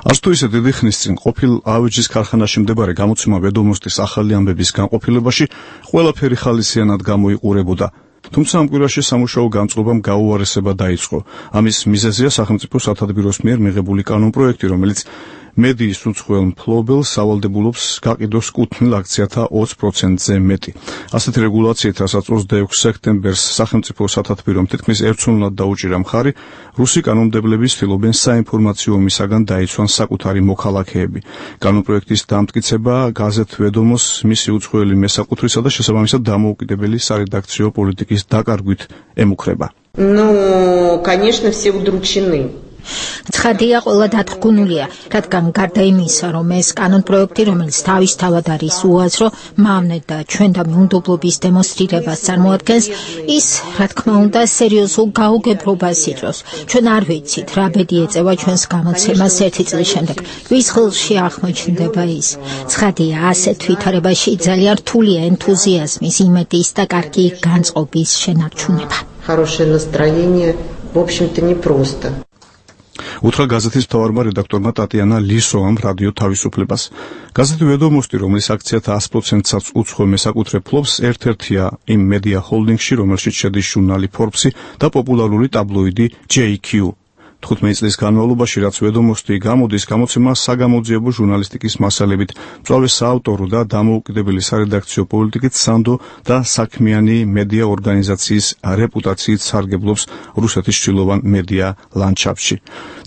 არც თუ ისე დიდი ხნის წინ ყოფილ ავეჯის ქარხანაში მდებარე გამოცემა ვედომოსტის ახალი ამბების განყოფილებაში ყველაფერი ხალისიანად გამოიყურებოდა. თუმცა ამ კვირაში სამუშაო გამწყობამ გაუარესება დაიწყო. ამის მიზეზია სახელმწიფო სათადბიროს მიერ მიღებული კანონპროექტი, რომელიც მედიის უცხოელ მფლობელს სავალდებულობს გაყიდოს კუთვნილ აქციათა 20%-ზე მეტი. ასეთი რეგულაციით, რასაც 26 სექტემბერს სახელმწიფო სათადბირომ თითქმის ერთწლოვნად დაუჭირა მხარი, რუსი კანონმდებლები ცდილობენ საინფორმაციო ომისაგან დაიცვან საკუთარი მოქალაქეები. კანონპროექტის დამტკიცება გაზეთ ვედომოს მისი უცხოელი მესაკუთრისა და შესაბამისად დამოუკიდებელი სარედაქციო პოლიტიკის დაკარგვით ემუქრება. Конечно, все удручены. ცხადია, ყველა დათრგუნულია, რადგან გარდა იმისა, რომ ეს კანონპროექტი, რომელიც თავისთავად არის უაზრო, მავნე და ჩვენ და მიუნდობლობის დემონსტრირებას წარმოადგენს, ის, რა თქმა უნდა, სერიოზულ გაუგებრობას იწვევს. ჩვენ არ ვიცით, რა ბედი ეწევა ჩვენს გამოცემას 1 წლის შემდეგ. ვის ხელში აღმოჩნდება ის? ცხადია, ასეთ ვითარებაში ძალიან რთულია ენთუზიაზმის, იმედის და კარგი განწყობის შენარჩუნება. Хорошее настроение, в общем-то, непросто. უთხრა გაზეთის მთავარმა რედაქტორმა ტატიანა ლისოვამ რადიო თავისუფლებას. გაზეთი ვედომოსტი, რომლის აქციათა 100%-საც უცხო მესაკუთრე ფლობს, ერთ-ერთია იმ მედია ჰოლდინგში, რომელშიც შედის ჟურნალი Forbes და პოპულარული ტაბლოიდი JQ. 15 წლის განმავლობაში, რაც ვედომოსტი გამოდის, გამოცემა საგამოძიებო ჟურნალისტიკის მასალებით, მწვავე საავტორო და დამოუკიდებელი სარედაქციო პოლიტიკით სანდო და საქმიანი მედია ორგანიზაციის რეპუტაციით სარგებლობს რუსეთის ჩრდილოვან მედია ლანდშაფტში.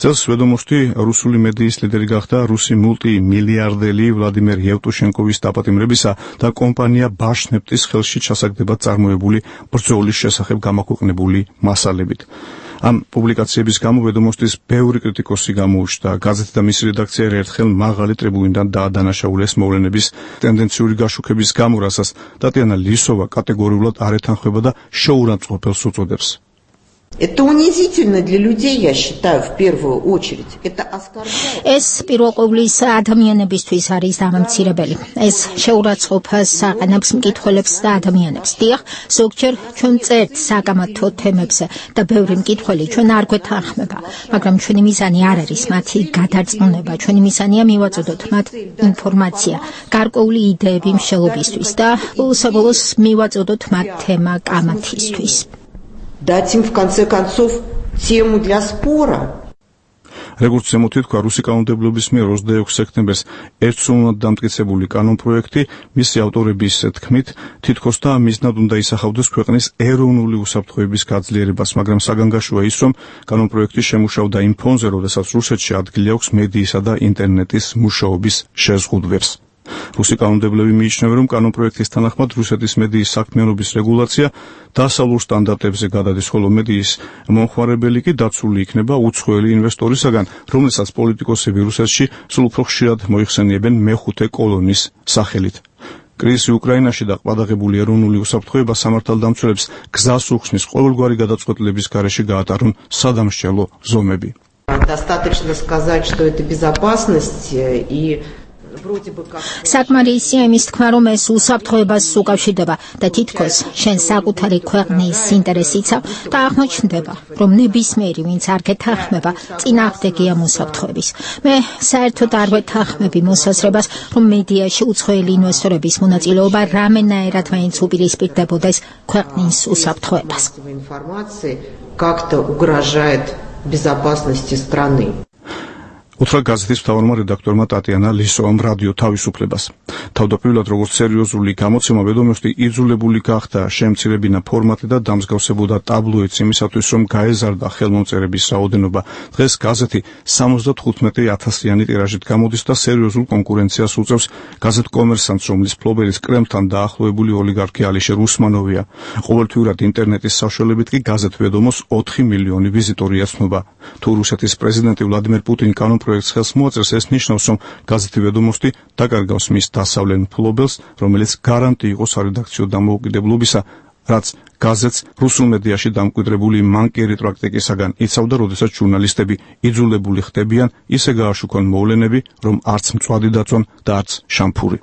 წელს ვედომოსტი რუსული მედიის ლიდერი გახდა რუსი მულტიმილიარდელი ვლადიმერ იევტუშენკოვის დაპატიმრებისა და კომპანია ბაშნეფტის ხელში ჩასაგდებად წარმოებული ბრძოლის შესახებ გამოქვეყნებული მასალებით. ამ პუბლიკაციების გამო ვედომოსტის ბევრი კრიტიკოსი გამოუჩნდა. გაზეთი და მისი რედაქცია ერთხელ მაღალი ტრიბუნიდან დაადანაშაულეს მოვლენების ტენდენციური გაშუქების გამო, რასაც ტატიანა ლისოვა კატეგორიულად არ ეთანხმება და შეურაცხყოფელს უწოდებს. Это унизительно для людей, я считаю, в первую очередь. Это оскорбляет. ეს პირველ ყოვლისა ადამიანებისთვის არის დამამცირებელი. ეს შეურაცხყოფას აყენებს მკითხველებს და ადამიანებს. დიახ, ზოგჯერ ჩვენ წერთ საკამათო თემებზე და ბევრი მკითხველი ჩვენ არ გვეთანხმება, მაგრამ ჩვენი მიზანი არ არის მათი გადარწმუნება. ჩვენი მიზანია მივაწოდოთ მათ ინფორმაცია, გარკვეული იდეები მშელობისთვის და უსაბოლოს მივაწოდოთ მათ თემა კამათისთვის. Дать им, в конце концов, тему для спора. როგორც ზემოთ თქვა, რუსი კანონმდებლობის მიერ 26 სექტემბერს ერთწლოვნად დამტკიცებული კანონპროექტი მისი ავტორების თქმით თითქოს და მიზნად უნდა ისახავდეს ქვეყნის ეროვნული უსაფრთხოების გაძლიერებას, მაგრამ საგანგაშოა ის, რომ კანონპროექტი შემუშავდა იმ ფონზე, როდესაც რუსეთში ადგილი აქვს მედიისა და ინტერნეტის მუშაობის შეზღუდვებს. რუსი კანონმდებლები მიიჩნევენ, რომ კანონპროექტის თანახმად რუსეთის მედიის საქმიანობის რეგულაცია დასავლურ სტანდარტებზე გადადის, ხოლო მედიის მომხმარებელი კი დაცული იქნება უცხოელი ინვესტორისაგან, რომელსაც პოლიტიკოსები რუსეთში სულ უფრო ხშირად მოიხსენიებენ მეხუთე კოლონის სახელით. კრიზისი უკრაინაში და ყვადაღებული ეროვნული უსაფრთხოება სამართალდამცველებს გზას უხსნის ყოველგვარი გადაწყვეტილების გარეშე გაატარონ სადამსჯელო ზომები. Достаточно сказать, что это безопасность и საკმარისია იმის თქმა, რომ ეს უსაფრთხოებას უკავშირდება და თითქოს შენ საკუთარი ქვეყნის ინტერესიცა და აღმოჩნდება, რომ ნებისმიერი, ვინც არ გეთანხმება, წინააღმდეგია უსაფრთხოების. მე საერთოდ არ ვეთანხმები მოსაზრებას, რომ მედიაში უცხოელი ინვესტორების მონაწილეობა რამენაერად მაინც უპირისპირდებოდეს ქვეყნის უსაფრთხოებას. Как-то угрожает безопасности страны. უთხრა გაზეთის მთავარმა რედაქტორმა ტატიანა ლისოვამ რადიო თავისუფლებას. თავდაპირველად როგორც სერიოზული გამოცემა ვედომოსტი იძულებული გახდა შემცირებინა ფორმატი და დამსგავსებოდა ტაბლოიდს იმისათვის, რომ გაეზარდა ხელმომწერების რაოდენობა. დღეს გაზეთი 75,000-იანი ტირაჟით გამოდის და სერიოზულ კონკურენციას უწევს გაზეთ კომერსანტს, რომლის მფლობელის კრემლთან დაახლოებული ოლიგარქი ალიშერ უსმანოვია. ყოველთვიურად ინტერნეტის საშუალებით კი გაზეთ ვედომოს 4 მილიონი ვიზიტორი აცნობა. თუ რუსეთის პრეზიდენტი ვლადიმერ პუტინი კანონპროექტს ხელს მოაწერს, ეს ნიშნავს, რომ გაზეთი ვედომოსტი დაკარგავს მის დასავლელ მფლობელს, რომელიც გარანტი იყო სარედაქციო დამოუკიდებლობისა, რაც გაზეთს რუსულ მედიაში დამკვიდრებული მანკიერი პრაქტიკისაგან იცავდა, როდესაც ჟურნალისტები იძულებული ხდებიან ისე გააშუქონ მოვლენები, რომ არც მწვადი დაწვან და არც შამფური.